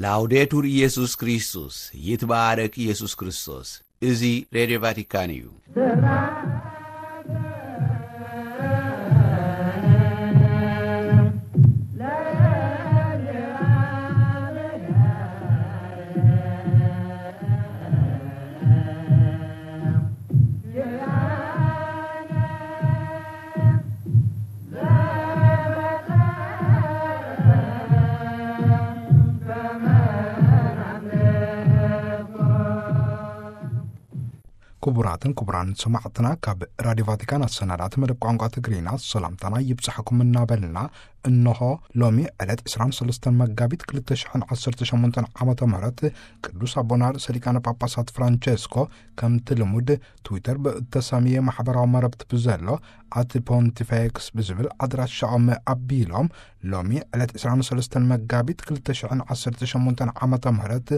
ላውዴቱር ኢየሱስ ክርስቶስ፣ ይትባረክ ኢየሱስ ክርስቶስ። እዚ ሬድዮ ቫቲካን እዩ። ክቡራትን ክቡራን ሰማዕትና፣ ካብ ራዲዮ ቫቲካን ኣሰናዳእቲ መደብ ቋንቋ ትግርኛ ሰላምታና ይብጻሕኩም እናበልና፣ እንሆ ሎሚ ዕለት ዕስራን ሰለስተን መጋቢት ክልተ ሽሕን ዓሰርተ ሸሞንተን ዓመተ ምህረት ቅዱስ ኣቦና ርእሰ ሊቃነ ጳጳሳት ፍራንቸስኮ ከምቲ ልሙድ ትዊተር ብእተሰምየ ማሕበራዊ መረብቲ ብዘሎ ኣት ፖንቲፌክስ ብዝብል ኣድራሻኦም ኣቢሎም፣ ሎሚ ዕለት ዕስራን ሰለስተን መጋቢት ክልተ ሽሕን ዓሰርተ ሸሞንተን ዓመተ ምህረት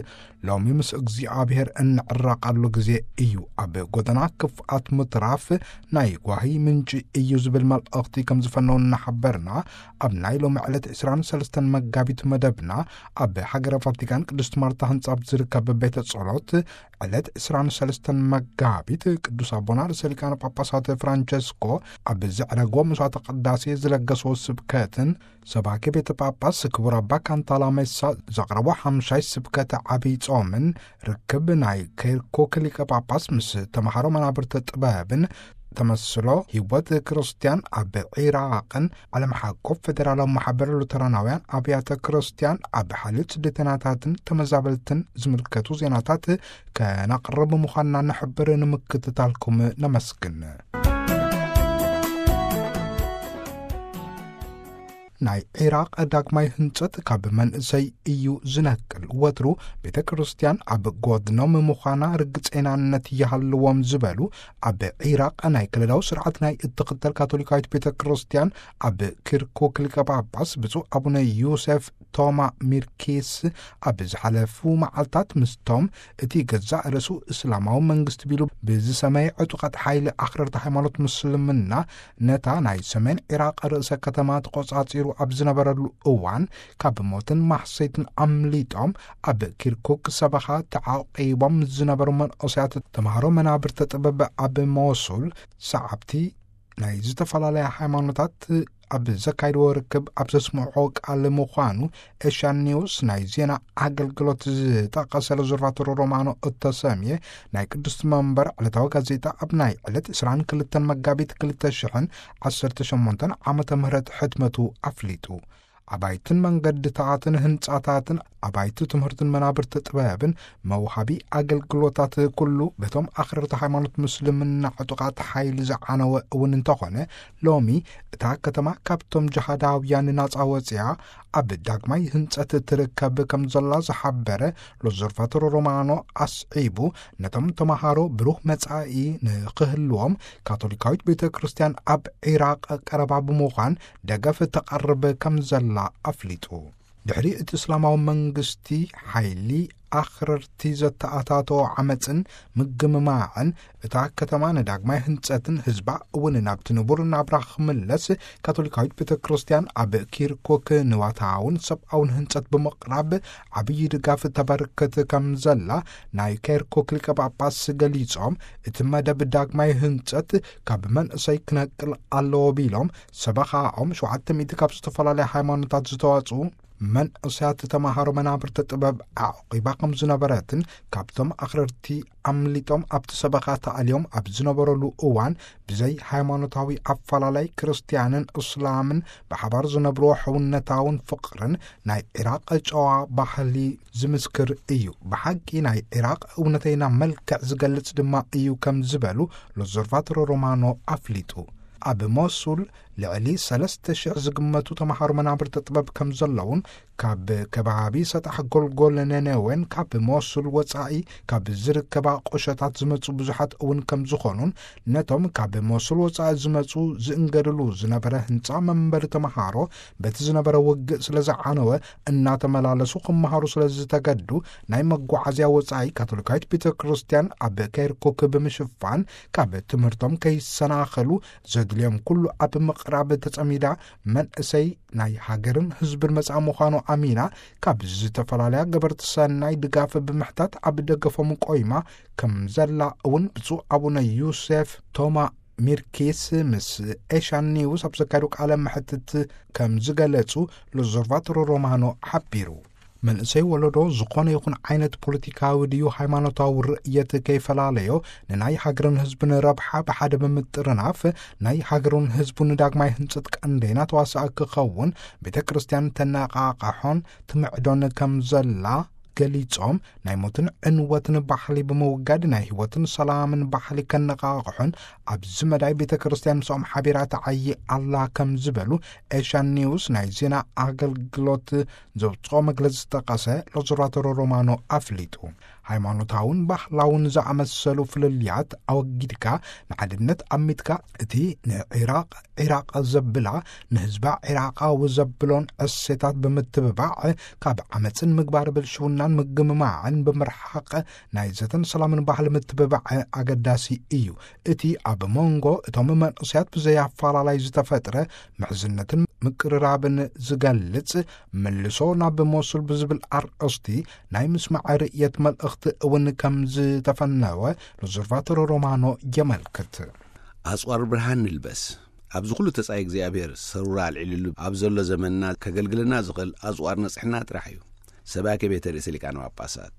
ሎሚ ምስ እግዚኣብሔር እንዕረቐሉ ግዜ እዩ። ኣብ ጎደና ክፍኣት ምትራፍ ናይ ጓሂ ምንጪ እዩ ዝብል መልእኽቲ ከም ዝፈነው እናሓበርና፣ ኣብ ናይ ሎሚ ዕለት ዕስራን ሰለስተን መጋቢት መደብና ኣብ ሃገረ ቫቲካን ቅድስት ማርታ ህንጻ ኣብ ዝርከብ ቤተ ጸሎት ዕለት ዕስራን ሰለስተን መጋቢት ቅዱስ ኣቦና ርእሰ ሊቃነ ጳጳሳት ፍራንቸስኮ ኣብ ዘዕረጎ መስዋዕተ ቅዳሴ ዝለገስዎ ስብከትን ሰባኪ ቤተ ጳጳስ ክቡር ኣባ ካንታላ ሜሳ ዘቕረቦ ሓምሻይ ስብከት ዓብይ ጾምን ርክብ ናይ ኬርኩክ ሊቀ ጳጳስ ምስ ተምሃሮ መናብርቲ ጥበብን ተመስሎ ህይወት ክርስቲያን ኣብ ዒራቕን ዓለም ሓቆፍ ፌደራላዊ ማሕበር ሉተራናውያን ኣብያተ ክርስቲያን ኣብ ሓልዮት ስደተኛታትን ተመዛበልትን ዝምልከቱ ዜናታት ከነቕርብ ምዃንና ንሕብር። ንምክትታልኩም ነመስግን። ናይ ዒራቕ ዳግማይ ህንጸት ካብ መንእሰይ እዩ ዝነቅል። ወትሩ ቤተ ክርስቲያን ኣብ ጎድኖም ምዃና ርግጸይናነት ይሃልዎም ዝበሉ ኣብ ዒራቕ ናይ ክልላዊ ስርዓት ናይ እትኽተል ካቶሊካዊት ቤተ ክርስቲያን ኣብ ኪርኩክ ሊቀ ጳጳስ ብፁዕ ኣቡነ ዮሴፍ ቶማ ሚርኪስ ኣብ ዝሓለፉ መዓልታት ምስቶም እቲ ገዛእ ርእሱ እስላማዊ መንግስቲ ቢሉ ብዝሰመየ ዕጡቓት ሓይሊ ኣኽረርቲ ሃይማኖት ምስልምና ነታ ናይ ሰሜን ዒራቕ ርእሰ ከተማ ተቖጻጺሩ ኣብ ዝነበረሉ እዋን ካብ ሞትን ማሕሰይትን ኣምሊጦም ኣብ ኪርኩክ ሰበኻ ተዓቂቦም ዝነበሩ መንእሰያት ተምሃሮ መናብርተ ጥበብ ኣብ ሞሱል ሰዓብቲ ናይ ዝተፈላለያ ሃይማኖታት ኣብ ዘካይድዎ ርክብ ኣብ ዘስምዖ ቃል ምዃኑ ኤሽያን ኒውስ ናይ ዜና ኣገልግሎት ዝጠቐሰ ሎዘርቫቶሮ ሮማኖ እተሰምየ ናይ ቅድስቲ መንበር ዕለታዊ ጋዜጣ ኣብ ናይ ዕለት ዕስራን ክልተን መጋቢት ክልተ ሽሕን ዓሰርተ ሸሞንተን ዓመተ ምህረት ሕትመቱ ኣፍሊጡ። ኣባይትን መንገድታትን ህንጻታትን ኣባይቲ ትምህርትን መናብርቲ ጥበብን መውሃቢ ኣገልግሎታት ኩሉ በቶም ኣኽረርቲ ሃይማኖት ምስልምና ዕጡቓት ሓይሊ ዝዓነወ እውን እንተኾነ፣ ሎሚ እታ ከተማ ካብቶም ጅሃዳውያን ናጻ ወጽያ ኣብ ዳግማይ ህንጸት ትርከብ ከም ዘላ ዝሓበረ ሎዘርቫቶሮ ሮማኖ ኣስዒቡ፣ ነቶም ተምሃሮ ብሩህ መጻኢ ንኽህልዎም ካቶሊካዊት ቤተ ክርስቲያን ኣብ ዒራቕ ቀረባ ብምዃን ደገፍ ተቐርብ ከም ዘላ ኣፍሊጡ። ድሕሪ እቲ እስላማዊ መንግስቲ ሓይሊ ኣኽረርቲ ዘተኣታተዎ ዓመፅን ምግምማዕን እታ ከተማ ንዳግማይ ህንፀትን ህዝባ እውን ናብቲ ንቡር ናብራ ክምለስ ካቶሊካዊት ቤተ ክርስቲያን ኣብ ኪርኩክ ንዋታውን ሰብኣውን ህንፀት ብምቕራብ ዓብዪ ድጋፍ ተበርክት ከም ዘላ ናይ ኪርኩክ ሊቀ ጳጳስ ገሊጾም፣ እቲ መደብ ዳግማይ ህንጸት ካብ መንእሰይ ክነቅል ኣለዎ ቢሎም፣ ሰበኻኦም ሸውዓተ ሚእቲ ካብ ዝተፈላለያ ሃይማኖታት ዝተዋጽኡ መንእሰያት ተማሃሮ መናብርቲ ጥበብ ኣዕቂባ ከም ዝነበረትን፣ ካብቶም ኣኽረርቲ ኣምሊጦም ኣብቲ ሰበኻ ተኣልዮም ኣብ ዝነበረሉ እዋን፣ ብዘይ ሃይማኖታዊ ኣፈላላይ ክርስትያንን እስላምን ብሓባር ዝነብርዎ ሕውነታውን ፍቕርን ናይ ዒራቕ ጨዋ ባህሊ ዝምስክር እዩ። ብሓቂ ናይ ዒራቕ እውነተይና መልክዕ ዝገልጽ ድማ እዩ ከም ዝበሉ ሎዘርቫቶሮ ሮማኖ ኣፍሊጡ። ኣብ ሞሱል ልዕሊ ሰለስተ ሽሕ ዝግመቱ ተምሃሮ መናብርቲ ጥበብ ከም ዘለውን፣ ካብ ከባቢ ሰጣሕ ጎልጎል ነነዌን ካብ ሞሱል ወጻኢ ካብ ዝርከባ ቁሸታት ዝመጹ ብዙሓት እውን ከም ዝኾኑን፣ ነቶም ካብ ሞሱል ወጻኢ ዝመጹ ዝእንገድሉ ዝነበረ ህንጻ መንበሪ ተምሃሮ በቲ ዝነበረ ውግእ ስለ ዝዓነወ፣ እናተመላለሱ ክመሃሩ ስለ ዝተገዱ፣ ናይ መጓዓዝያ ወጻኢ ካቶሊካዊት ቤተ ክርስቲያን ኣብ ኬርኩክ ብምሽፋን፣ ካብ ትምህርቶም ከይሰናኸሉ ዘድልዮም ኩሉ ኣብ ምቕራብ ተጸሚዳ፣ መንእሰይ ናይ ሃገርን ህዝብን መጻኢ ምዃኑ ኣሚና ካብ ዝተፈላለያ ገበርቲ ሰናይ ድጋፍ ብምሕታት ኣብ ደገፎም ቆይማ ከም ዘላ እውን ብፁዕ ኣቡነ ዮሴፍ ቶማ ሚርኪስ ምስ ኤሻን ኒውስ ኣብ ዘካየዱ ቃለ መሕትት ከም ዝገለጹ ሎዘርቫቶሮ ሮማኖ ሓቢሩ። መንእሰይ ወለዶ ዝኾነ ይኹን ዓይነት ፖለቲካዊ ድዩ ሃይማኖታዊ ርእየት ከይፈላለዮ፣ ንናይ ሃገርን ህዝብን ረብሓ ብሓደ ብምጥርናፍ፣ ናይ ሃገሩን ህዝቡን ዳግማይ ህንጸት ቀንደይና ተዋሳእ ክኸውን ቤተ ክርስቲያን ተነቓቕሖን ትምዕዶን ከም ዘላ ገሊጾም፣ ናይ ሞትን ዕንወትን ባህሊ ብምውጋድ ናይ ህይወትን ሰላምን ባህሊ ከነቓቕሖን ኣብዚ መዳይ ቤተ ክርስቲያን ምስኦም ሓቢራ ተዓዪ ኣላ ከም ዝበሉ ኤሽያን ኒውስ ናይ ዜና ኣገልግሎት ዘውፅኦ መግለፂ ዝጠቀሰ ሎዘርቫቶሮ ሮማኖ ኣፍሊጡ። ሃይማኖታውን ባህላውን ዝኣመሰሉ ፍልልያት ኣወጊድካ ንሓድነት ኣሚትካ፣ እቲ ንዒራቕ ዒራቕ ዘብላ፣ ንህዝባ ዒራቓዊ ዘብሎን እሴታት ብምትብባዕ፣ ካብ ዓመፅን ምግባር ብልሽውናን ምግምማዕን ብምርሓቕ ናይ ዘተን ሰላምን ባህሊ ምትብባዕ ኣገዳሲ እዩ። እቲ ኣብ መንጎ እቶም መንእሰያት ብዘይ ኣፈላላይ ዝተፈጥረ ምሕዝነትን ምቅርራብን ዝገልጽ፣ መልሶ ናብ ሞሱል ብዝብል ኣርእስቲ ናይ ምስማዕ ርእየት መልእኽቲ እውን ከም ዝተፈነወ ሎዘርቫቶሮ ሮማኖ የመልክት። ኣጽዋር ብርሃን ንልበስ። ኣብዚ ኩሉ ተጻይ እግዚኣብሔር ሰሩራ ኣልዒሉሉ ኣብ ዘሎ ዘመንና ከገልግለና ዝኽእል ኣጽዋር ንጽሕና ጥራሕ እዩ። ሰባኬ ቤተ ርእሰ ሊቃነ ጳጳሳት።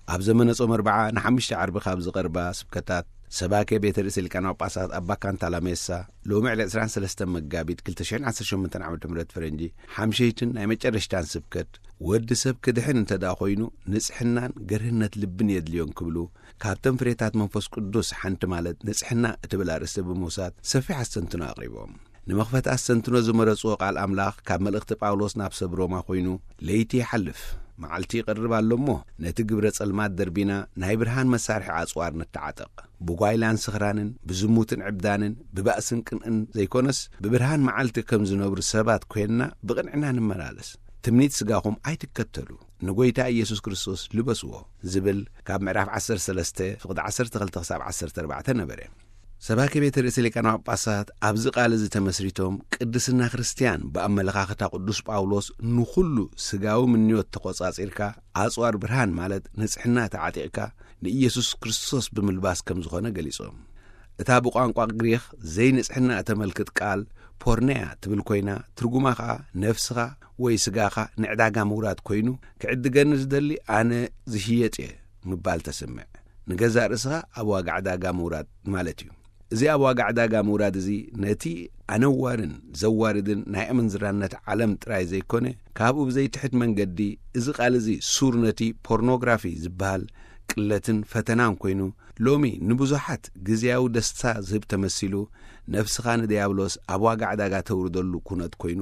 ኣብ ዘመነ ጾም ኣርብዓ ንሓሙሽተ ዓርቢ ካብ ዝቐርባ ስብከታት፣ ሰባኬ ቤተ ርእሰ ሊቃነ ጳጳሳት ኣባ ካንታላሜሳ ሎሚ ዕለት ዕስራን ሰለስተን መጋቢት ክልተ ሽሕን ዓሰርተ ሸሞንተን ዓመተ ምህረት ፈረንጂ፣ ሓምሸይትን ናይ መጨረሽታን ስብከት፣ ወዲ ሰብ ክድሕን እንተ ደኣ ኾይኑ፣ ንጽሕናን ገርህነት ልብን የድልዮን ክብሉ፣ ካብተን ፍሬታት መንፈስ ቅዱስ ሓንቲ ማለት ንጽሕና እትብል ኣርእስቲ ብምውሳድ ሰፊሕ ኣስተንትኖ ኣቕሪቦም። ንመኽፈቲ ኣስተንትኖ ዝመረጽዎ ቃል ኣምላኽ ካብ መልእኽቲ ጳውሎስ ናብ ሰብ ሮማ ኮይኑ፣ "ለይቲ ይሓልፍ፣ መዓልቲ ይቐርብ ኣሎ እሞ፣ ነቲ ግብረ ጸልማት ደርቢና፣ ናይ ብርሃን መሳርሒ ኣጽዋር ንተዓጠቕ። ብጓይላን ስኽራንን፣ ብዝሙትን ዕብዳንን፣ ብባእስን ቅንእን ዘይኮነስ፣ ብብርሃን መዓልቲ ከም ዝነብሩ ሰባት ኮይንና ብቕንዕና ንመላለስ። ትምኒት ስጋኹም ኣይትከተሉ፣ ንጎይታ ኢየሱስ ክርስቶስ ልበስዎ" ዝብል ካብ ምዕራፍ ዓሰርተ ሰለስተ ፍቕዲ ዓሰርተ ክልተ ክሳብ ዓሰርተ ኣርባዕተ ነበረ። ሰባኪ ቤተ ርእሰ ሊቃነ ጳጳሳት ኣብዚ ቃል እዚ ተመስሪቶም፣ ቅድስና ክርስትያን ብኣመለኻኽታ ቅዱስ ጳውሎስ ንኹሉ ስጋዊ ምንዮት ተቖጻጺርካ፣ ኣጽዋር ብርሃን ማለት ንጽሕና ተዓጢቕካ፣ ንኢየሱስ ክርስቶስ ብምልባስ ከም ዝኾነ ገሊጾም። እታ ብቋንቋ ግሪኽ ዘይንጽሕና እተመልክት ቃል ፖርኔያ ትብል ኮይና፣ ትርጉማ ኸኣ ነፍስኻ ወይ ስጋኻ ንዕዳጋ ምውራድ ኮይኑ፣ "ክዕድገኒ ዝደሊ ኣነ ዝሽየጥ እየ" ምባል ተስምዕ። ንገዛእ ርእስኻ ኣብ ዋጋ ዕዳጋ ምውራድ ማለት እዩ። እዚ ኣብ ዋጋ ዕዳጋ ምውራድ እዚ ነቲ ኣነዋርን ዘዋርድን ናይ ኣመንዝራነት ዓለም ጥራይ ዘይኮነ፣ ካብኡ ብዘይትሕት መንገዲ እዚ ቃል እዚ ሱር ነቲ ፖርኖግራፊ ዝበሃል ቅለትን ፈተናን ኮይኑ፣ ሎሚ ንብዙሓት ግዝያዊ ደስታ ዝህብ ተመሲሉ፣ ነፍስኻ ንድያብሎስ ኣብ ዋጋ ዕዳጋ ተውርደሉ ኩነት ኮይኑ፣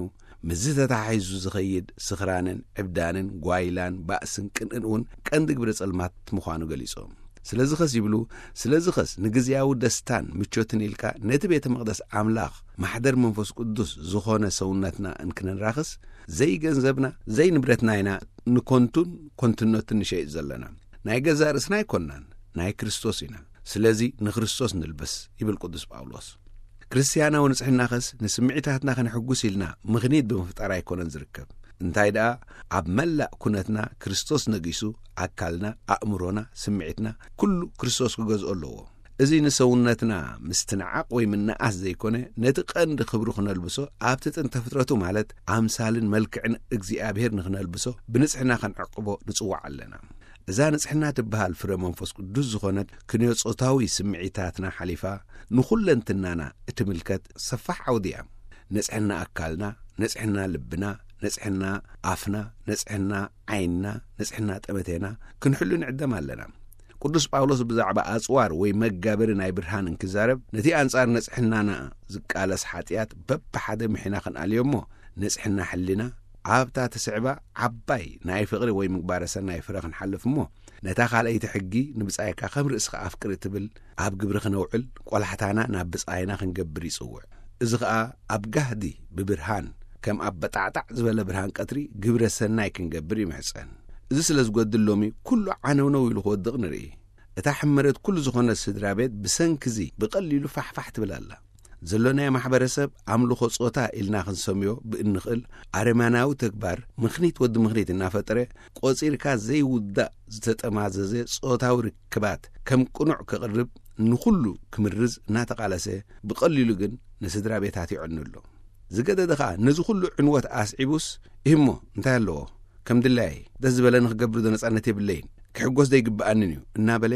ምስዚ ተተሓሒዙ ዝኸይድ ስኽራንን ዕብዳንን ጓይላን ባእስን ቅንእን እውን ቀንዲ ግብረ ጸልማት ምዃኑ ገሊጾም። ስለዚ ኸስ ይብሉ፣ ስለዚ ኸስ ንግዝያዊ ደስታን ምቾትን ኢልካ ነቲ ቤተ መቕደስ ኣምላኽ ማሕደር መንፈስ ቅዱስ ዝኾነ ሰውነትና እንክንራኽስ፣ ዘይገንዘብና ዘይንብረትና ኢና ንኮንቱን ኮንትነትን ንሸይጥ ዘለና። ናይ ገዛእ ርእስና ኣይኮንናን፣ ናይ ክርስቶስ ኢና። ስለዚ ንክርስቶስ ንልበስ ይብል ቅዱስ ጳውሎስ። ክርስትያናዊ ንጽሕናኸስ ንስምዒታትና ከነሕጉስ ኢልና ምኽኒት ብምፍጣር ኣይኮነን ዝርከብ። እንታይ ደኣ፣ ኣብ መላእ ኩነትና ክርስቶስ ነጊሱ፣ ኣካልና፣ ኣእምሮና፣ ስምዒትና፣ ኩሉ ክርስቶስ ክገዝኦ ኣለዎ። እዚ ንሰውነትና ምስትንዓቕ ወይ ምንኣስ ዘይኮነ፣ ነቲ ቀንዲ ክብሩ ክነልብሶ፣ ኣብቲ ጥንተ ፍጥረቱ ማለት ኣምሳልን መልክዕን እግዚኣብሔር ንኽነልብሶ፣ ብንጽሕና ከነዕቅቦ ንጽዋዕ ኣለና። እዛ ንጽሕና ትበሃል ፍረ መንፈስ ቅዱስ ዝኾነት ክንዮ ጾታዊ ስምዒታትና ሓሊፋ ንኹለንትናና እትምልከት ሰፋሕ ዓውዲ እያ። ንጽሕና ኣካልና፣ ንጽሕና ልብና፣ ንጽሕና ኣፍና፣ ንጽሕና ዓይንና፣ ንጽሕና ጠመቴና ክንሕሉ ንዕደም ኣለና። ቅዱስ ጳውሎስ ብዛዕባ ኣጽዋር ወይ መጋበሪ ናይ ብርሃን እንክዛረብ፣ ነቲ ኣንጻር ንጽሕናና ዝቃለስ ሓጢኣት በብሓደ ምሒና ክንኣልዮ እሞ፣ ንጽሕና ሕሊና ኣብታ ትስዕባ ዓባይ ናይ ፍቕሪ ወይ ምግባረ ሰናይ ፍረ ክንሓልፍ እሞ፣ ነታ ካልኣይቲ ሕጊ፣ "ንብጻይካ ከም ርእስኻ ኣፍቅር" እትብል ኣብ ግብሪ ክነውዕል፣ ቆላሕታና ናብ ብጻይና ክንገብር ይጽውዕ። እዚ ኸኣ ኣብ ጋህዲ ብብርሃን፣ ከም ኣብ በጣዕጣዕ ዝበለ ብርሃን ቀትሪ ግብረ ሰናይ ክንገብር ይምሕጸን። እዚ ስለ ዝጎድል ሎሚ ኩሉ ዓነውነው ኢሉ ክወድቕ ንርኢ። እታ ሕመረት ኩሉ ዝኾነት ስድራ ቤት ብሰንኪ እዚ ብቐሊሉ ፋሕፋሕ ትብል ኣላ። ዘሎናዮ ማሕበረሰብ ኣምልኾ ጾታ ኢልና ክንሰምዮ ብእንኽእል ኣረማናዊ ተግባር፣ ምኽኒት ወዲ ምኽኒት እናፈጠረ፣ ቆጺርካ ዘይውዳእ ዝተጠማዘዘ ጾታዊ ርክባት ከም ቅኑዕ ከቕርብ ንኹሉ ክምርዝ እናተቓለሰ፣ ብቐሊሉ ግን ንስድራ ቤታት ይዕኑ ኣሎ። ዝገደደ ኸኣ ነዚ ኩሉ ዕንወት ኣስዒቡስ፣ "እሞ እንታይ ኣለዎ? ከም ድላየይ ደስ ዝበለኒ ክገብር ዶ ነጻነት የብለይን? ክሕጎስ ዶ ይግብኣንን እዩ?" እናበለ፣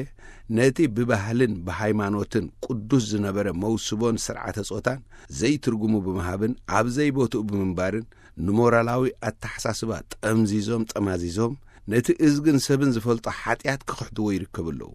ነቲ ብባህልን ብሃይማኖትን ቅዱስ ዝነበረ መውስቦን ስርዓተ ጾታን ዘይትርጉሙ ብምሃብን ኣብ ዘይቦትኡ ብምንባርን፣ ንሞራላዊ ኣተሓሳስባ ጠምዚዞም ጠማዚዞም፣ ነቲ እዝግን ሰብን ዝፈልጦ ሓጢኣት ክኽሕድዎ ይርከቡ ኣለዉ።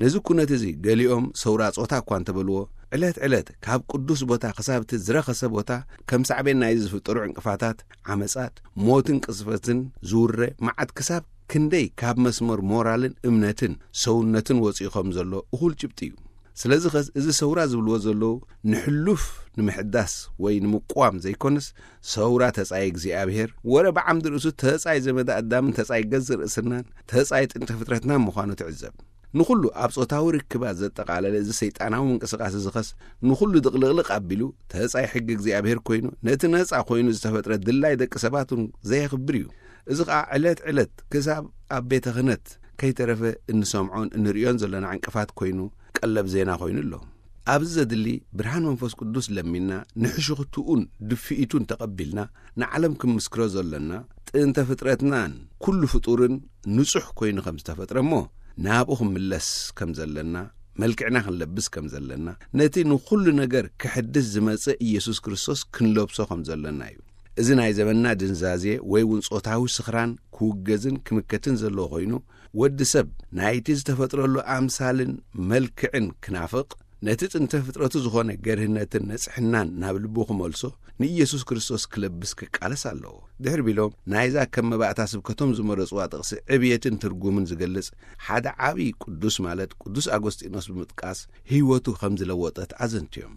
ነዚ ኩነት እዚ ገሊኦም ሰውራ ጾታ እኳ እንተበልዎ፣ ዕለት ዕለት ካብ ቅዱስ ቦታ ክሳብ እቲ ዝረኸሰ ቦታ ከም ሳዕቤን ናይዚ ዝፍጠሩ ዕንቅፋታት፣ ዓመጻት፣ ሞትን ቅዝፈትን ዝውረ መዓት ክሳብ ክንደይ ካብ መስመር ሞራልን እምነትን ሰውነትን ወጺኡ ከም ዘሎ እኹል ጭብጢ እዩ። ስለዚ ኸስ እዚ ሰውራ ዝብልዎ ዘለዉ ንሕሉፍ ንምሕዳስ ወይ ንምቋም ዘይኮነስ፣ ሰውራ ተጻይ እግዚኣብሔር፣ ወረ ብዓምዲ ርእሱ ተጻይ ዘመደ ኣዳምን ተጻይ ገዝ ርእስናን ተጻይ ጥንተ ፍጥረትናን ምዃኑ ትዕዘብ። ንኹሉ ኣብ ጾታዊ ርክባት ዘጠቓለለ እዚ ሰይጣናዊ ምንቅስቓስ እዚ ኸስ ንኹሉ ድቕልቕልቕ ኣቢሉ ተጻይ ሕጊ እግዚኣብሔር ኮይኑ፣ ነቲ ነጻ ኮይኑ ዝተፈጥረ ድላይ ደቂ ሰባት እውን ዘየኽብር እዩ። እዚ ኸኣ ዕለት ዕለት ክሳብ ኣብ ቤተ ክህነት ከይተረፈ እንሰምዖን እንርእዮን ዘለና ዕንቅፋት ኮይኑ ቀለብ ዜና ኮይኑ ኣሎ። ኣብዚ ዘድሊ ብርሃን መንፈስ ቅዱስ ለሚንና ንሕሽኽትኡን ድፍኢቱን ተቐቢልና ንዓለም ክንምስክሮ ዘሎና ጥንተ ፍጥረትናን ኩሉ ፍጡርን ንጹሕ ኮይኑ ከም ዝተፈጥረ እሞ ናብኡ ክንምለስ ከም ዘለና፣ መልክዕና ክንለብስ ከም ዘለና፣ ነቲ ንኹሉ ነገር ክሕድስ ዝመጽእ ኢየሱስ ክርስቶስ ክንለብሶ ከም ዘለና እዩ። እዚ ናይ ዘመንና ድንዛዜ ወይ እውን ጾታዊ ስኽራን ክውገዝን ክምከትን ዘለዎ ኮይኑ፣ ወዲ ሰብ ናይቲ ዝተፈጥረሉ ኣምሳልን መልክዕን ክናፍቕ፣ ነቲ ጥንተ ፍጥረቱ ዝኾነ ገርህነትን ነጽሕናን ናብ ልቡ ክመልሶ፣ ንኢየሱስ ክርስቶስ ክለብስ ክቃለስ ኣለዎ። ድሕር ቢሎም ናይዛ ከም መባእታ ስብከቶም ዝመረጽዋ ጥቕሲ ዕብየትን ትርጉምን ዝገልጽ ሓደ ዓቢ ቅዱስ ማለት ቅዱስ ኣጎስጢኖስ ብምጥቃስ ህይወቱ ከም ዝለወጠት ኣዘንትዮም።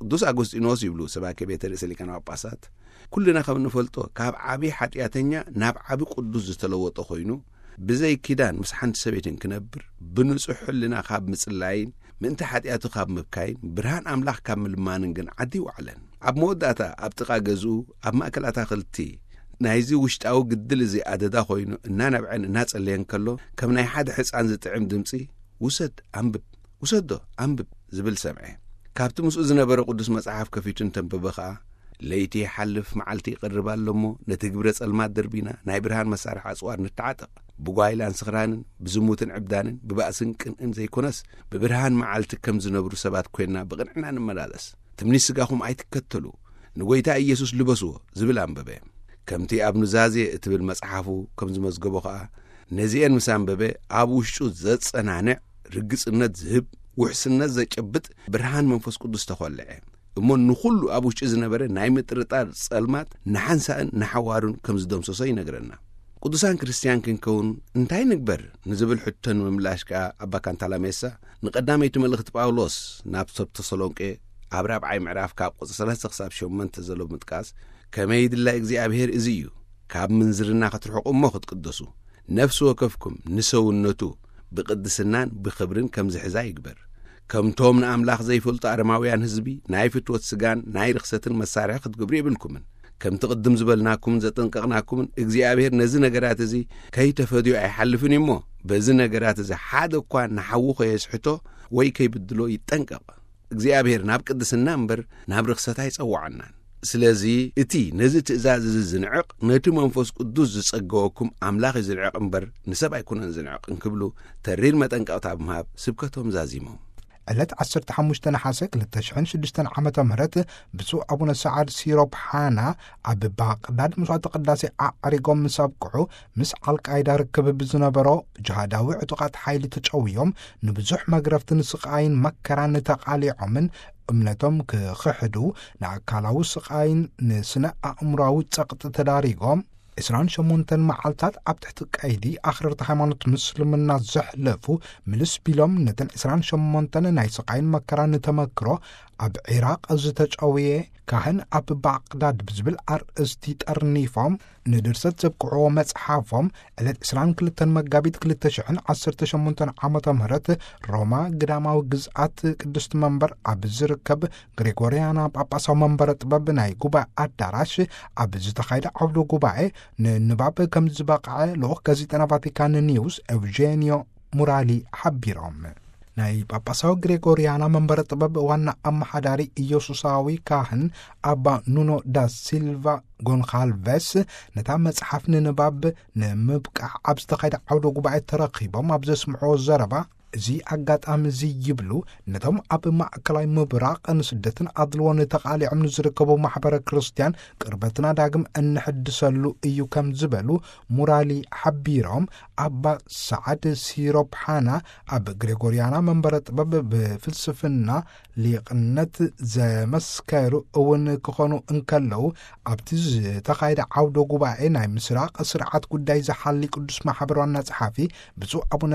ቅዱስ ኣጎስጢኖስ ይብሉ ሰባኬ ቤተ ርእሰ ሊቃነ ጳጳሳት፣ ኩልና ከም እንፈልጦ ካብ ዓቢ ሓጢኣተኛ ናብ ዓቢ ቅዱስ ዝተለወጠ ኮይኑ፣ ብዘይ ኪዳን ምስ ሓንቲ ሰበይትን ክነብር፣ ብንጹሕ ሕልና ካብ ምጽላይን ምእንቲ ሓጢኣቱ ካብ ምብካይን ብርሃን ኣምላኽ ካብ ምልማንን ግን ዓዲ ይውዓለን። ኣብ መወዳእታ ኣብ ጥቓ ገዝኡ ኣብ ማእከል ኣታኽልቲ ናይዚ ውሽጣዊ ግድል እዚ ኣደዳ ኮይኑ እናነብዐን እናጸለየን ከሎ፣ ከም ናይ ሓደ ሕጻን ዝጥዕም ድምጺ፣ "ውሰድ፣ ኣንብብ፣ ውሰዶ፣ ኣንብብ" ዝብል ሰምዐ። ካብቲ ምስኡ ዝነበረ ቅዱስ መጽሓፍ ከፊቱ እንተንበበ ኸኣ፣ "ለይቲ ይሓልፍ፣ መዓልቲ ይቐርብ ኣሎ እሞ፣ ነቲ ግብረ ጸልማት ደርቢና፣ ናይ ብርሃን መሳርሒ ኣጽዋር ንተዓጠቕ። ብጓይላን ስኽራንን፣ ብዝሙትን ዕብዳንን፣ ብባእስን ቅንእን ዘይኮነስ፣ ብብርሃን መዓልቲ ከም ዝነብሩ ሰባት ኮይንና ብቕንዕና ንመላለስ። ትምኒት ስጋኹም ኣይትከተሉ፣ ንጎይታ ኢየሱስ ልበስዎ" ዝብል ኣንበበ። ከምቲ ኣብ ኑዛዜ እትብል መጽሓፉ ከም ዝመዝገቦ ኸኣ፣ ነዚኤን ምስ ኣንበበ፣ ኣብ ውሽጡ ዘጸናንዕ፣ ርግጽነት ዝህብ፣ ውሕስነት ዘጨብጥ ብርሃን መንፈስ ቅዱስ ተኾልዐ። እሞ ንኹሉ ኣብ ውሽጢ ዝነበረ ናይ ምጥርጣር ጸልማት ንሓንሳእን ንሓዋሩን ከም ዝደምሰሶ ይነግረና። ቅዱሳን ክርስትያን ክንከውን እንታይ ንግበር ንዝብል ሕቶ ንምምላሽ ከኣ ኣባ ካንታላሜሳ ንቀዳመይቲ መልእኽቲ ጳውሎስ ናብ ሰብ ተሰሎንቄ ኣብ ራብዓይ ምዕራፍ ካብ ቁጽሪ ሰለስተ ክሳብ ሸሞንተ ዘሎ ብምጥቃስ፣ "ከመይ ድላይ እግዚኣብሔር እዚ እዩ፣ ካብ ምንዝርና ክትርሕቁ እሞ ክትቅደሱ፣ ነፍሲ ወከፍኩም ንሰውነቱ ብቅድስናን ብኽብርን ከም ዝሕዛ ይግበር። ከምቶም ንኣምላኽ ዘይፈልጡ ኣረማውያን ህዝቢ ናይ ፍትወት ስጋን ናይ ርኽሰትን መሳርሒ ክትገብሩ የብልኩምን። ከምቲ ቅድም ዝበልናኩምን ዘጠንቀቕናኩምን እግዚኣብሔር ነዚ ነገራት እዚ ከይተፈድዮ ኣይሓልፍን እዩ እሞ፣ በዚ ነገራት እዚ ሓደ እኳ ንሓዉ ከየስሕቶ ወይ ከይብድሎ ይጠንቀቕ። እግዚኣብሔር ናብ ቅድስና እምበር ናብ ርኽሰት ኣይጸውዓናን። ስለዚ እቲ ነዚ ትእዛዝ እዚ ዝንዕቕ ነቲ መንፈስ ቅዱስ ዝጸገወኩም ኣምላኽ እዩ ዝንዕቕ እምበር ንሰብ ኣይኮነን ዝንዕቕ" እንክብሉ ተሪር መጠንቀቕታ ብምሃብ ስብከቶም ዛዚሞም። ዕለት ዓሰርተ ሓሙሽተ ነሓሰ ክልተ ሽሕን ሽዱሽተን ዓመተ ምህረት ብፁዕ ኣቡነ ሰዓድ ሲሮፕ ሓና ኣብ ባቕዳድ መስዋዕተ ቅዳሴ ኣዕሪጎም ምስ ኣብቅዑ፣ ምስ ኣልቃይዳ ርክብ ብዝነበሮ ጅሃዳዊ ዕጡቓት ሓይሊ ተጨውዮም ንብዙሕ መግረፍትን ስቓይን መከራን ተቓሊዖምን እምነቶም ክኽሕዱ፣ ንኣካላዊ ስቓይን ንስነ ኣእምሮኣዊ ጸቕጢ ተዳሪጎም፣ ዕስራን ሸሞንተን መዓልታት ኣብ ትሕቲ ቀይዲ ኣኽረርቲ ሃይማኖት ምስልምና ዘሕለፉ፣ ምልስ ቢሎም ነተን ዕስራን ሸሞንተን ናይ ስቓይን መከራን ተመክሮ ኣብ ዒራቕ ዝተጨውየ ካህን ኣብ ባቕዳድ ብዝብል ኣርእስቲ ጠርኒፎም፣ ንድርሰት ዘብቅዕዎ መጽሓፎም ዕለት ዕስራን ክልተን መጋቢት ክልተ ሽሕን ዓሰርተ ሸሞንተን ዓመተ ምህረት ሮማ ግዳማዊ ግዝኣት ቅድስቲ መንበር ኣብ ዝርከብ ግሬጎርያና ጳጳሳዊ መንበረ ጥበብ ናይ ጉባኤ ኣዳራሽ ኣብ ዝተኻየደ ዓውደ ጉባኤ ንንባብ ከም ዝበቕዐ ልኡኽ ጋዜጠና ቫቲካን ኒውስ ኤውጄንዮ ሙራሊ ሓቢሮም። ናይ ጳጳሳዊ ግሬጎርያና መንበረ ጥበብ ዋና ኣመሓዳሪ ኢየሱሳዊ ካህን ኣባ ኑኖ ዳ ሲልቫ ጎንካልቬስ ነታ መጽሓፍ ንንባብ ንምብቃዕ ኣብ ዝተኻየደ ዓውደ ጉባኤ ተረኺቦም ኣብ ዘስምዕዎ ዘረባ፣ እዚ ኣጋጣሚ እዚ ይብሉ፣ ነቶም ኣብ ማእከላይ ምብራቕ ንስደትን ኣድልዎን ተቓሊዖም ንዝርከቡ ማሕበረ ክርስትያን ቅርበትና ዳግም እንሕድሰሉ እዩ ከም ዝበሉ ሙራሊ ሓቢሮም፣ ኣባ ሰዓድ ሲሮፕሓና ኣብ ግሬጎርያና መንበረ ጥበብ ብፍልስፍና ሊቕነት ዘመስከሩ እውን ክኾኑ እንከለዉ፣ ኣብቲ ዝተኻየደ ዓውደ ጉባኤ ናይ ምስራቕ ስርዓት ጉዳይ ዝሓሊ ቅዱስ ማሕበር ዋና ጸሓፊ ብፁዕ ኣቡነ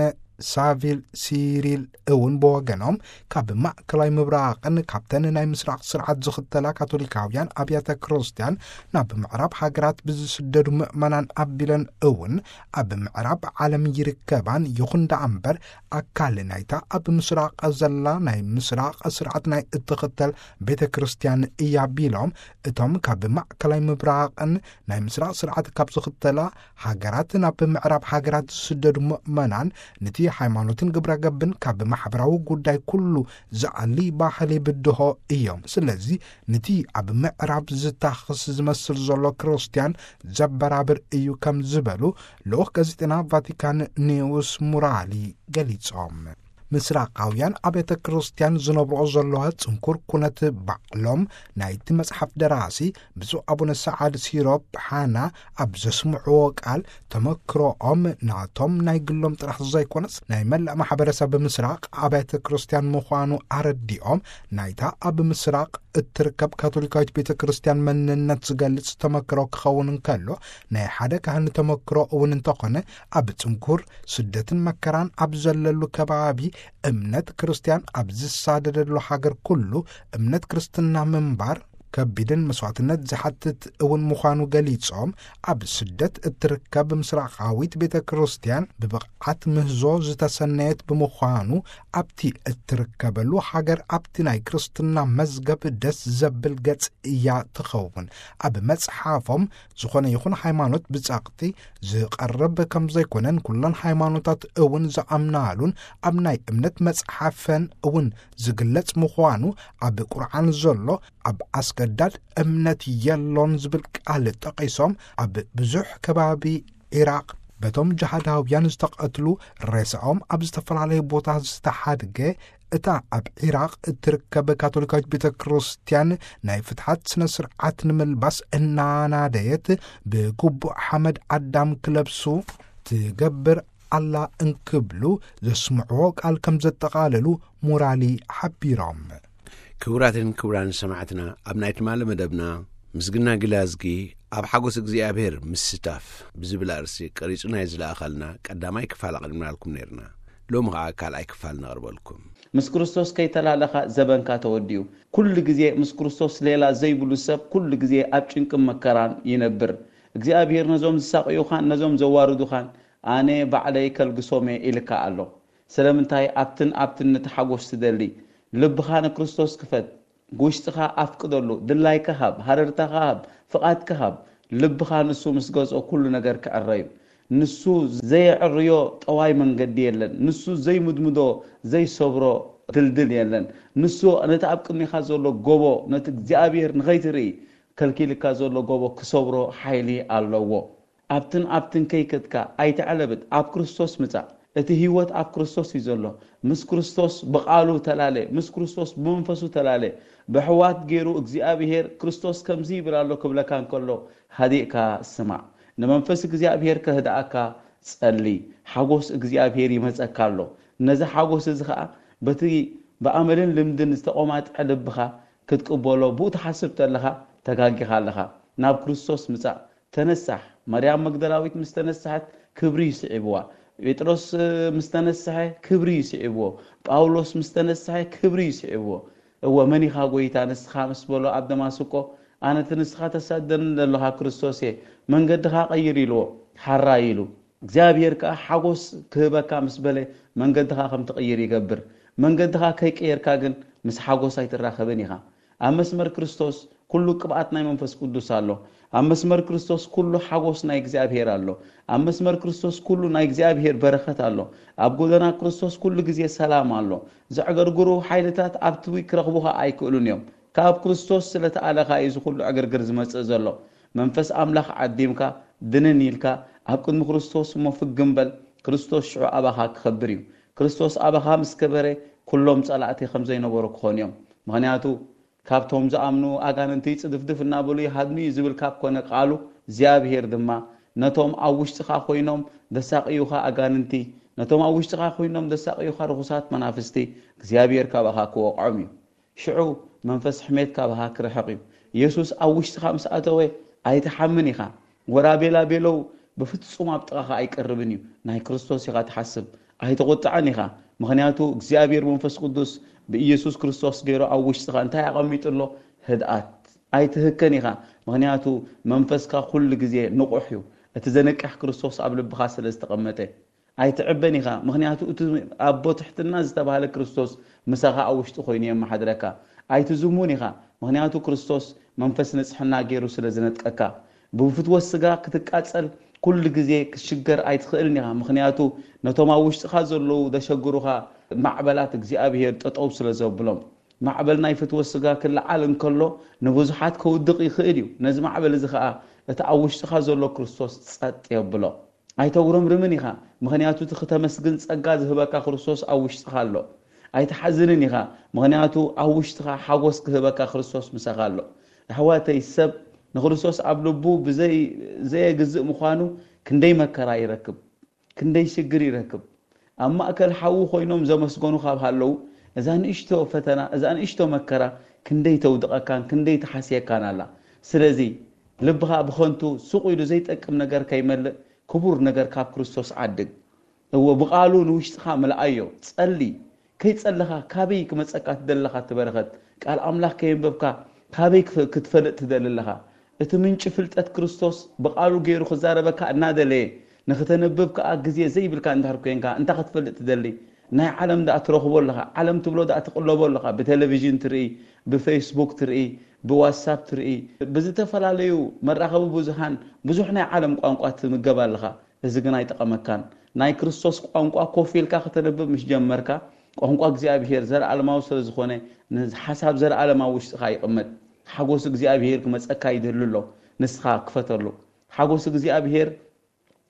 ሳቪል ሲሪል እውን ብወገኖም፣ ካብ ማእከላይ ምብራቕን ካብተን ናይ ምስራቕ ስርዓት ዝኽተላ ካቶሊካውያን ኣብያተ ክርስትያን ናብ ምዕራብ ሃገራት ብዝስደዱ ምእመናን ኣቢለን እውን ኣብ ምዕራብ ዓለም ይርከባን፣ ይኹን ደኣ እምበር ኣካል ናይታ ኣብ ምስራቕ ዘላ ናይ ምስራቕ ስርዓት ናይ እትኽተል ቤተ ክርስትያን እያ ቢሎም፣ እቶም ካብ ማእከላይ ምብራቕን ናይ ምስራቕ ስርዓት ካብ ዝኽተላ ሃገራት ናብ ምዕራብ ሃገራት ዝስደዱ ምእመናን፣ ነቲ ሃይማኖትን ግብረ ገብን ካብ ማሕበራዊ ጉዳይ ኩሉ ዝኣሊ ባህሊ ብድሆ እዮም። ስለዚ ነቲ ኣብ ምዕራብ ዝታኽስ ዝመስል ዘሎ ክርስትያን ዘበራብር እዩ ከም ዝበሉ ልኡኽ ጋዜጠና ቫቲካን ኒውስ ሙራሊ ገሊጾም። ምስራቃውያን ኣብያተ ክርስትያን ዝነብርኦ ዘለዋ ጽንኩር ኩነት ባዕሎም ናይቲ መጽሓፍ ደራሲ ብፁዕ ኣቡነ ሰዓድ ሲሮፕ ሓና ኣብ ዘስምዕዎ ቃል፣ ተመክሮኦም ናቶም ናይ ግሎም ጥራሕ ዘይኮነስ ናይ መላእ ማሕበረሰብ ምስራቕ ኣብያተ ክርስትያን ምዃኑ ኣረዲኦም፣ ናይታ ኣብ ምስራቕ እትርከብ ካቶሊካዊት ቤተ ክርስትያን መንነት ዝገልጽ ተመክሮ ክኸውን እንከሎ፣ ናይ ሓደ ካህን ተመክሮ እውን እንተኾነ፣ ኣብ ጽንኩር ስደትን መከራን ኣብ ዘለሉ ከባቢ፣ እምነት ክርስትያን ኣብ ዝሳደደሉ ሃገር ኩሉ እምነት ክርስትና ምንባር ከቢድን መስዋዕትነት ዝሓትት እውን ምዃኑ ገሊጾም፣ ኣብ ስደት እትርከብ ምስራቓዊት ቤተ ክርስትያን ብብቕዓት ምህዞ ዝተሰነየት ብምዃኑ፣ ኣብቲ እትርከበሉ ሃገር ኣብቲ ናይ ክርስትና መዝገብ ደስ ዘብል ገጽ እያ ትኸውን። ኣብ መጽሓፎም፣ ዝኾነ ይኹን ሃይማኖት ብጸቕጢ ዝቐርብ ከም ዘይኮነን፣ ኩለን ሃይማኖታት እውን ዝኣምናሉን ኣብ ናይ እምነት መጽሓፈን እውን ዝግለጽ ምዃኑ፣ ኣብ ቁርዓን ዘሎ ኣብ ኣስገዳድ እምነት የሎን ዝብል ቃል ጠቒሶም፣ ኣብ ብዙሕ ከባቢ ዒራቕ በቶም ጅሃዳውያን ዝተቐትሉ፣ ሬሳኦም ኣብ ዝተፈላለየ ቦታ ዝተሓድገ፣ እታ ኣብ ዒራቕ እትርከብ ካቶሊካዊት ቤተ ክርስትያን ናይ ፍትሓት ስነ ስርዓት ንምልባስ እናናደየት፣ ብግቡእ ሓመድ ኣዳም ክለብሱ ትገብር ኣላ እንክብሉ ዘስምዕዎ ቃል ከም ዘጠቓለሉ ሙራሊ ሓቢሮም። ክቡራትን ክቡራን ሰማዕትና፣ ኣብ ናይ ትማሊ መደብና ምስግና ግላዝጊ ኣብ ሓጎስ እግዚኣብሔር ምስታፍ ብዝብል ኣርእስቲ ቀሪጹ ናይ ዝለኣኸልና ቀዳማይ ክፋል ኣቕሪብናልኩም ነይርና። ሎሚ ኸኣ ካልኣይ ክፋል ነቕርበልኩም። ምስ ክርስቶስ ከይተላለኻ ዘበንካ ተወዲኡ። ኩሉ ግዜ ምስ ክርስቶስ ሌላ ዘይብሉ ሰብ ኩሉ ግዜ ኣብ ጭንቅን መከራን ይነብር። እግዚኣብሔር ነዞም ዝሳቕዩኻን ነዞም ዘዋርዱኻን ኣነ ባዕለይ ከልግሶም እየ ኢልካ ኣሎ። ስለምንታይ ኣብትን ኣብትን ንትሓጎስ ትደሊ? ልብኻ ንክርስቶስ ክፈት። ውሽጥኻ ኣፍቅደሉ። ድላይካ ሃብ፣ ሃረርታኻ ሃብ፣ ፍቓድካ ሃብ። ልብኻ ንሱ ምስ ገዝኦ ኩሉ ነገር ክዕረ እዩ። ንሱ ዘየዕርዮ ጠዋይ መንገዲ የለን። ንሱ ዘይምድምዶ ዘይሰብሮ ድልድል የለን። ንሱ ነቲ ኣብ ቅድሚኻ ዘሎ ጎቦ፣ ነቲ እግዚኣብሔር ንኸይትርኢ ከልኪልካ ዘሎ ጎቦ ክሰብሮ ሓይሊ ኣለዎ። ኣብትን ኣብትን ከይከድካ ኣይተዕለብጥ፣ ኣብ ክርስቶስ ምጻእ። እቲ ህይወት ኣብ ክርስቶስ እዩ ዘሎ። ምስ ክርስቶስ ብቓሉ ተላለ፣ ምስ ክርስቶስ ብመንፈሱ ተላለ። ብሕዋት ገይሩ እግዚኣብሔር ክርስቶስ ከምዚ ይብል ኣሎ ክብለካ እንከሎ ሃዲእካ ስማዕ። ንመንፈስ እግዚኣብሔር ከህድኣካ ጸሊ። ሓጎስ እግዚኣብሔር ይመጸካ ኣሎ። ነዚ ሓጎስ እዚ ኸኣ በቲ ብኣመልን ልምድን ዝተቖማጥዐ ልብኻ ክትቅበሎ ብኡ ትሓስብ ተለኻ ተጋጊኻ ኣለኻ። ናብ ክርስቶስ ምጻእ። ተነሳሕ። ማርያም መግደላዊት ምስ ተነስሐት ክብሪ ይስዒብዋ። ጴጥሮስ ምስ ተነስሐ ክብሪ ይስዒብዎ። ጳውሎስ ምስ ተነስሐ ክብሪ ይስዒብዎ። እወ፣ መን ኢኻ ጐይታ ንስኻ ምስ በሎ ኣብ ደማስቆ፣ ኣነ እቲ ንስኻ ተሳደኒ ዘለኻ ክርስቶስ እየ፣ መንገድኻ ቀይር ኢልዎ፣ ሓራይ ኢሉ። እግዚኣብሔር ከኣ ሓጎስ ክህበካ ምስ በለ መንገድኻ ከም ትቕይር ይገብር። መንገድኻ ከይቀየርካ ግን ምስ ሓጎስ ኣይትራኸብን ኢኻ። ኣብ መስመር ክርስቶስ ኩሉ ቅብኣት ናይ መንፈስ ቅዱስ ኣሎ። ኣብ መስመር ክርስቶስ ኩሉ ሓጎስ ናይ እግዚኣብሔር ኣሎ። ኣብ መስመር ክርስቶስ ኩሉ ናይ እግዚኣብሔር በረኸት ኣሎ። ኣብ ጎደና ክርስቶስ ኩሉ ግዜ ሰላም ኣሎ። ዘዕገርግሩ ሓይልታት ኣብቲ ክረኽቡኻ ኣይክእሉን እዮም። ካብ ክርስቶስ ስለ ተኣለኻ እዩ እዚ ኩሉ ዕግርግር ዝመጽእ ዘሎ። መንፈስ ኣምላኽ ዓዲምካ፣ ድንን ኢልካ፣ ኣብ ቅድሚ ክርስቶስ እሞ ፍግም በል። ክርስቶስ ሽዑ ኣባኻ ክኸብር እዩ። ክርስቶስ ኣባኻ ምስ ከበረ፣ ኩሎም ጸላእቲ ከም ዘይነበሩ ክኾኑ እዮም። ምኽንያቱ፣ ካብቶም ዝኣምኑ ኣጋንንቲ ጽድፍድፍ እናበሉ ይሃድሙ እዩ ዝብል ካብ ኮነ ቃሉ፣ እግዚኣብሔር ድማ፣ ነቶም ኣብ ውሽጥኻ ኮይኖም ደሳቕዩኻ ኣጋንንቲ፣ ነቶም ኣብ ውሽጥኻ ኮይኖም ደሳቕዩኻ ርኹሳት መናፍስቲ፣ እግዚኣብሔር ካባኻ ክወቕዖም እዩ። ሽዑ መንፈስ ሕሜት ካባኻ ክርሕቕ እዩ። ኢየሱስ ኣብ ውሽጥኻ ምስ ኣተወ ኣይትሓምን ኢኻ። ወራቤላ ቤለው ብፍጹም ኣብ ጥቓኻ ኣይቀርብን እዩ። ናይ ክርስቶስ ኢኻ ትሓስብ። ኣይትቑጥዕን ኢኻ። ምኽንያቱ እግዚኣብሔር መንፈስ ቅዱስ ብኢየሱስ ክርስቶስ ገይሩ ኣብ ውሽጥኻ እንታይ ኣቐሚጡ ኣሎ? ህድኣት። ኣይትህከን ኢኻ። ምኽንያቱ መንፈስካ ኩሉ ግዜ ንቑሕ እዩ። እቲ ዘንቅሕ ክርስቶስ ኣብ ልብኻ ስለ ዝተቐመጠ። ኣይትዕበን ኢኻ። ምኽንያቱ እቲ ኣቦ ትሕትና ዝተባህለ ክርስቶስ ምሳኻ ኣብ ውሽጢ ኮይኑ የመሓድረካ። ኣይትዝሙን ኢኻ። ምኽንያቱ ክርስቶስ መንፈስ ንጽሕና ገይሩ ስለ ዝነጥቀካ። ብፍትወት ስጋ ክትቃጸል ኩሉ ግዜ ክትሽገር ኣይትኽእልን ኢኻ። ምኽንያቱ ነቶም ኣብ ውሽጥኻ ዘለዉ ዘሸግሩኻ ማዕበላት እግዚኣብሔር ጠጠው ስለ ዘብሎም። ማዕበል ናይ ፍትወት ስጋ ክለዓል እንከሎ ንብዙሓት ከውድቕ ይኽእል እዩ። ነዚ ማዕበል እዚ ኸኣ እቲ ኣብ ውሽጥኻ ዘሎ ክርስቶስ ጸጥ የብሎ። ኣይተጉረምርምን ኢኻ፣ ምኽንያቱ እቲ ክተመስግን ጸጋ ዝህበካ ክርስቶስ ኣብ ውሽጥኻ ኣሎ። ኣይትሓዝንን ኢኻ፣ ምኽንያቱ ኣብ ውሽጥኻ ሓጎስ ክህበካ ክርስቶስ ምሳኻ ኣሎ። ኣሕዋተይ፣ ሰብ ንክርስቶስ ኣብ ልቡ ብዘይ-፣ ዘየግዝእ ምዃኑ ክንደይ መከራ ይረክብ፣ ክንደይ ሽግር ይረክብ። ኣብ ማእከል ሓዊ ኮይኖም ዘመስገኑ ካብ ሃለዉ፣ እዛ ንእሽቶ ፈተና፣ እዛ ንእሽቶ መከራ ክንደይ ተውድቐካን ክንደይ ትሓስየካን ኣላ። ስለዚ ልብኻ ብኸንቱ ሱቕ ኢሉ ዘይጠቅም ነገር ከይመልእ፣ ክቡር ነገር ካብ ክርስቶስ ዓድግ። እወ፣ ብቓሉ ንውሽጥኻ ምልኣዮ። ጸሊ። ከይጸለኻ ካበይ ክመጸካ ትደሊ ኣለኻ እቲ በረኸት? ቃል ኣምላኽ ከየንበብካ ካበይ ክፈ-፣ ክትፈልጥ ትደሊ ኣለኻ? እቲ ምንጪ ፍልጠት ክርስቶስ ብቓሉ ገይሩ ክዛረበካ እናደለየ፣ ንኽተንብብ ከኣ ግዜ ዘይብልካ እንድሕር ኮይንካ፣ እንታይ ክትፈልጥ ትደሊ? ናይ ዓለም ደኣ ትረኽቦ ኣለኻ፣ ዓለም ትብሎ ደኣ ትቕለቦ ኣለኻ። ብቴሌቪዥን ትርኢ፣ ብፌስቡክ ትርኢ፣ ብዋትሳፕ ትርኢ፣ ብዝተፈላለዩ መራኸቢ ብዙሃን ብዙሕ ናይ ዓለም ቋንቋ ትምገብ ኣለኻ። እዚ ግን ኣይጠቐመካን። ናይ ክርስቶስ ቋንቋ ኮፍ ኢልካ ከተንብብ ምስ ጀመርካ፣ ቋንቋ እግዚኣብሄር ዘለኣለማዊ ስለ ዝኾነ፣ ንሓሳብ ዘለኣለማዊ ውሽጥኻ ይቕመጥ። ሓጎስ እግዚኣብሄር ክመጸካ ይደሊ ኣሎ። ንስኻ ክፈተሉ። ሓጎስ እግዚኣብሄር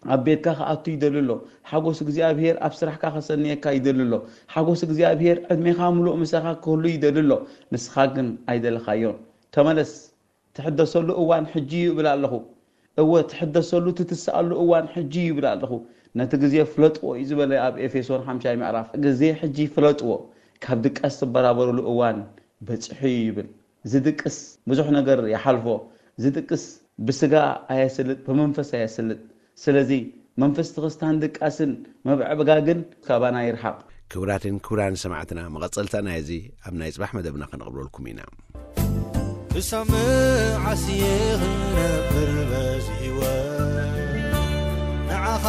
ኣብ ቤትካ ክኣቱ ይደሊ ኣሎ። ሓጎስ እግዚኣብሄር ኣብ ስራሕካ ከሰንየካ ይደሊ ኣሎ። ሓጎስ እግዚኣብሄር ዕድሜኻ ምሉእ ምሳኻ ክህሉ ይደሊ ኣሎ። ንስኻ ግን ኣይደለኻዮን። ተመለስ። ትሕደሰሉ እዋን ሕጂ እዩ እብል ኣለኹ። እወ፣ ትሕደሰሉ፣ ትትስኣሉ እዋን ሕጂ እዩ ይብል ኣለኹ። ነቲ ግዜ ፍለጥዎ እዩ ዝበለ ኣብ ኤፌሶን ሓምሻይ ምዕራፍ። ግዜ ሕጂ ፍለጥዎ፣ ካብ ድቃስ ትበራበሩሉ እዋን በጺሑ እዩ ይብል። ዝድቅስ ብዙሕ ነገር ይሓልፎ። ዝድቅስ ብስጋ ኣየስልጥ፣ ብመንፈስ ኣየስልጥ። ስለዚ መንፈስ ትኽስታን ድቃስን ምብዕብጋግን ካባና ይርሓቕ። ክቡራትን ክቡራን ሰማዕትና፣ መቐጸልታ ናይዚ ኣብ ናይ ጽባሕ መደብና ከነቕርበልኩም ኢና። ክሳብ መዓስ እየ ክነብር በዚ ህይወት? ንዓኻ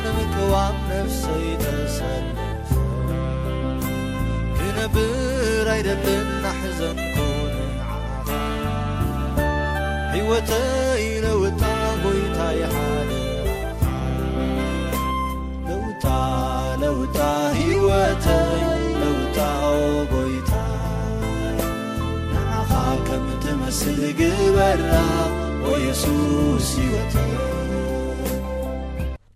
ንምቅዋም ነፍሰይ ተሰልፈ ክነብር ኣይደልን፣ ናሕዘንኩ ንዓኻ። ህይወተይ ለውጣ ጎይታ ይሓደ ለውጣ፣ ለውጣ ህይወተይ፣ ለውጣ ኦ ጎይታ። ንዓኻ ከም ትመስል ግበራ ኦ የሱስ ህይወተይ።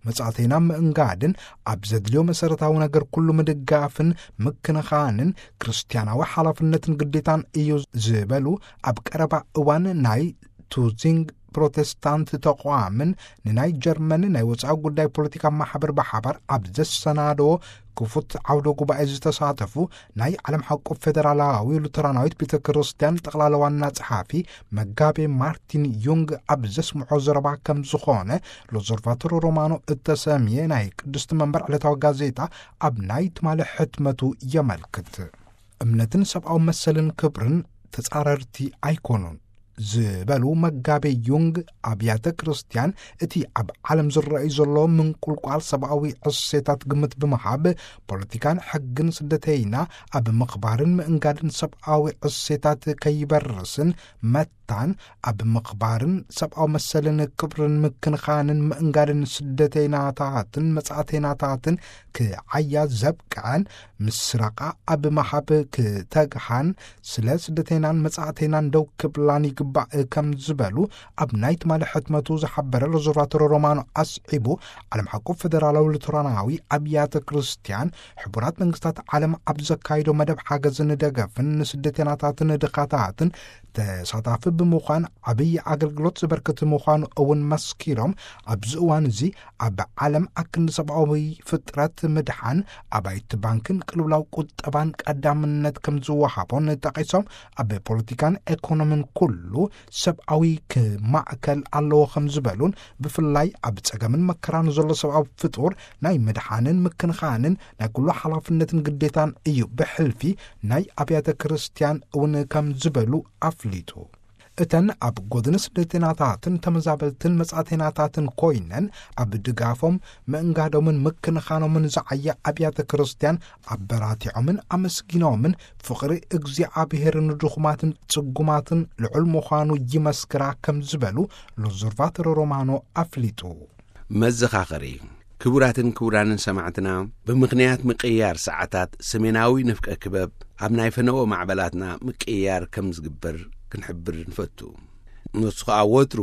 መጻእተይና ምእንጋድን ኣብ ዘድልዮ መሰረታዊ ነገር ኩሉ ምድጋፍን ምክንኻንን ክርስትያናዊ ሓላፍነትን ግዴታን እዩ ዝበሉ ኣብ ቀረባ እዋን ናይ ቱዚንግ ፕሮቴስታንት ተቋምን ንናይ ጀርመን ናይ ወጻኢ ጉዳይ ፖለቲካ ማሕበር ብሓባር ኣብ ዘሰናደዎ ክፉት ዓውደ ጉባኤ ዝተሳተፉ ናይ ዓለም ሓቆ ፌደራላዊ ሉተራናዊት ቤተ ክርስቲያን ጠቕላላ ዋና ጸሓፊ መጋቤ ማርቲን ዩንግ ኣብ ዘስምዖ ዘረባ ከም ዝኾነ ሎዘርቫቶር ሮማኖ እተሰምየ ናይ ቅድስቲ መንበር ዕለታዊ ጋዜጣ ኣብ ናይ ትማሊ ሕትመቱ የመልክት። እምነትን ሰብኣዊ መሰልን ክብርን ተጻረርቲ ኣይኮኑን። ዝበሉ መጋቤ ዩንግ፣ ኣብያተ ክርስቲያን እቲ ኣብ ዓለም ዝረኣዩ ዘሎ ምንቁልቋል ሰብኣዊ ዕሴታት ግምት ብምሃብ፣ ፖለቲካን ሕግን ስደተይና ኣብ ምኽባርን ምእንጋድን ሰብኣዊ ዕሴታት ከይበርስን መታን ኣብ ምኽባርን ሰብኣዊ መሰልን ክብርን ምክንኻንን ምእንጋድን ስደተይናታትን መጻእተይናታትን ክዓያ ዘብቅዐን ምስራቓ ኣብ ምሃብ ክተግሃን ስለ ስደተይናን መጻእተይናን ደው ክብላን ይግባእ ከም ዝበሉ ኣብ ናይ ትማሊ ሕትመቱ ዝሓበረ ሎዞርቫቶሮ ሮማኖ ኣስዒቡ፣ ዓለም ሓቁ ፈደራላዊ ሉተራናዊ ኣብያተ ክርስቲያን ሕቡራት መንግስታት ዓለም ኣብ ዘካይዶ መደብ ሓገዝን ደገፍን ንስደተይናታትን ድኻታትን ተሳታፊ ብምዃን ዓብዪ ኣገልግሎት ዘበርክት ምዃኑ እውን መስኪሮም፣ ኣብዚ እዋን እዚ ኣብ ዓለም ኣክንዲ ሰብኣዊ ፍጥረት ምድሓን ኣባይቲ ባንክን ቅልውላው ቁጠባን ቀዳምነት ከም ዝወሃቦን ጠቒሶም፣ ኣብ ፖለቲካን ኤኮኖሚን ኩሉ ሰብኣዊ ክማእከል ኣለዎ ከም ዝበሉን፣ ብፍላይ ኣብ ጸገምን መከራን ዘሎ ሰብኣዊ ፍጡር ናይ ምድሓንን ምክንኻንን ናይ ኩሉ ሓላፍነትን ግዴታን እዩ፣ ብሕልፊ ናይ ኣብያተ ክርስቲያን እውን ከም ዝበሉ ኣፍሊጡ። እተን ኣብ ጎድኒ ስደተይናታትን ተመዛበልትን መጻእተይናታትን ኮይነን ኣብ ድጋፎም ምእንጋዶምን ምክንኻኖምን ዝዓያ ኣብያተ ክርስቲያን ኣበራቲዖምን ኣመስጊኖምን፣ ፍቕሪ እግዚኣብሔር ንድኹማትን ጽጉማትን ልዑል ምዃኑ ይመስክራ ከም ዝበሉ ሎዞርቫቶሮ ሮማኖ ኣፍሊጡ። መዘኻኸሪ። ክቡራትን ክቡራንን ሰማዕትና፣ ብምኽንያት ምቅያር ሰዓታት ሰሜናዊ ንፍቀ ክበብ ኣብ ናይ ፈነወ ማዕበላትና ምቅያር ከም ዝግበር ክንሕብር ንፈቱ። ንሱ ኸኣ ወትሩ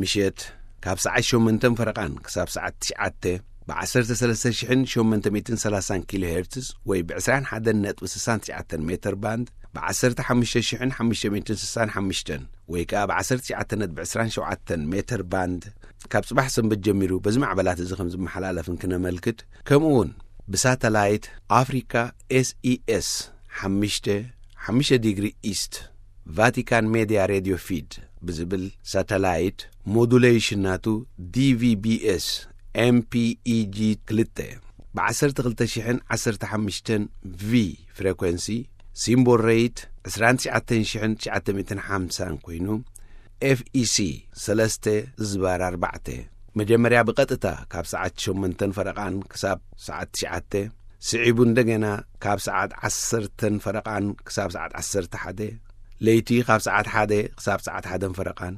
ምሸት ካብ ሰዓት ሸሞንተን ፈረቓን ክሳብ ሰዓት ትሽዓተ ብ ዓሰርተ ሰለስተ ሽሕን ሸሞንተ ሚእትን ሰላሳን ኪሎ ሄርትዝ ወይ ብ ዕስራን ሓደን ነጥቢ ስሳን ትሽዓተን ሜተር ባንድ፣ ብ ዓሰርተ ሓሙሽተ ሽሕን ሓሙሽተ ሚእትን ስሳን ሓሙሽተን ወይ ከኣ ብ ዓሰርተ ትሽዓተ ነጥቢ ዕስራን ሸውዓተን ሜተር ባንድ ካብ ጽባሕ ሰንበት ጀሚሩ በዚ ማዕበላት እዚ ከም ዝመሓላለፍን ክነመልክት፣ ከምኡ እውን ብሳተላይት ኣፍሪካ ኤስ ኢ ኤስ ሓሙሽተ ሓሙሽተ ዲግሪ ኢስት ቫቲካን ሜድያ ሬድዮ ፊድ ብዝብል ሳተላይት ሞዱሌሽን ናቱ ዲ ቪ ቢ ኤስ ኤም ፒ ኢ ጂ ክልተ ብ ዓሰርተ ክልተ ሽሕን ዓሰርተ ሓሙሽተን ቪ ፍሬኮንሲ፣ ሲምቦል ሬት ዕስራን ትሽዓተን ሽሕን ትሽዓተ ሚእትን ሓምሳን ኮይኑ፣ ኤፍ ኢ ሲ ሰለስተ ዝባር ኣርባዕተ፣ መጀመርያ ብቐጥታ ካብ ሰዓት ሸሞንተን ፈረቓን ክሳብ ሰዓት ትሽዓተ፣ ስዒቡ እንደገና ካብ ሰዓት ዓሰርተን ፈረቓን ክሳብ ሰዓት ዓሰርተ ሓደ፣ ለይቲ ካብ ሰዓት ሓደ ክሳብ ሰዓት ሓደን ፈረቓን፣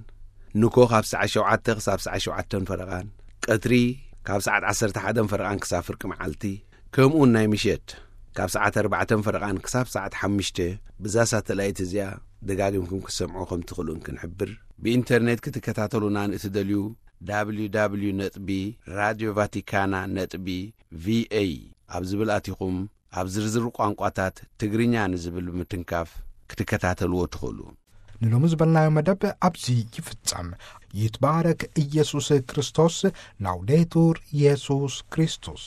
ንኮ ካብ ሰዓት ሸውዓተ ክሳብ ሰዓት ሸውዓተን ፈረቓን፣ ቀትሪ ካብ ሰዓት ዓሰርተ ሓደን ፈረቓን ክሳብ ፍርቂ መዓልቲ፣ ከምኡውን ናይ ምሸት ካብ ሰዓት ኣርባዕተን ፈረቓን ክሳብ ሰዓት ሓሙሽተ ብዛ ሳተላይት እዚኣ ደጋጊምኩም ክትሰምዑ ከም ትኽእሉን ክንሕብር። ብኢንተርኔት ክትከታተሉና ንእትደልዩ፣ ደብሊው ደብሊው ደብሊው ነጥቢ ራድዮ ቫቲካና ነጥቢ ቪ ኤ ኣብ ዝብል ኣቲኹም ኣብ ዝርዝር ቋንቋታት ትግርኛ ንዝብል ብምትንካፍ ክትከታተልዎ ትኽእሉ። ንሎሚ ዝበልናዮ መደብ ኣብዚ ይፍጸም። ይትባረክ ኢየሱስ ክርስቶስ። ላውዴቱር ኢየሱስ ክርስቶስ።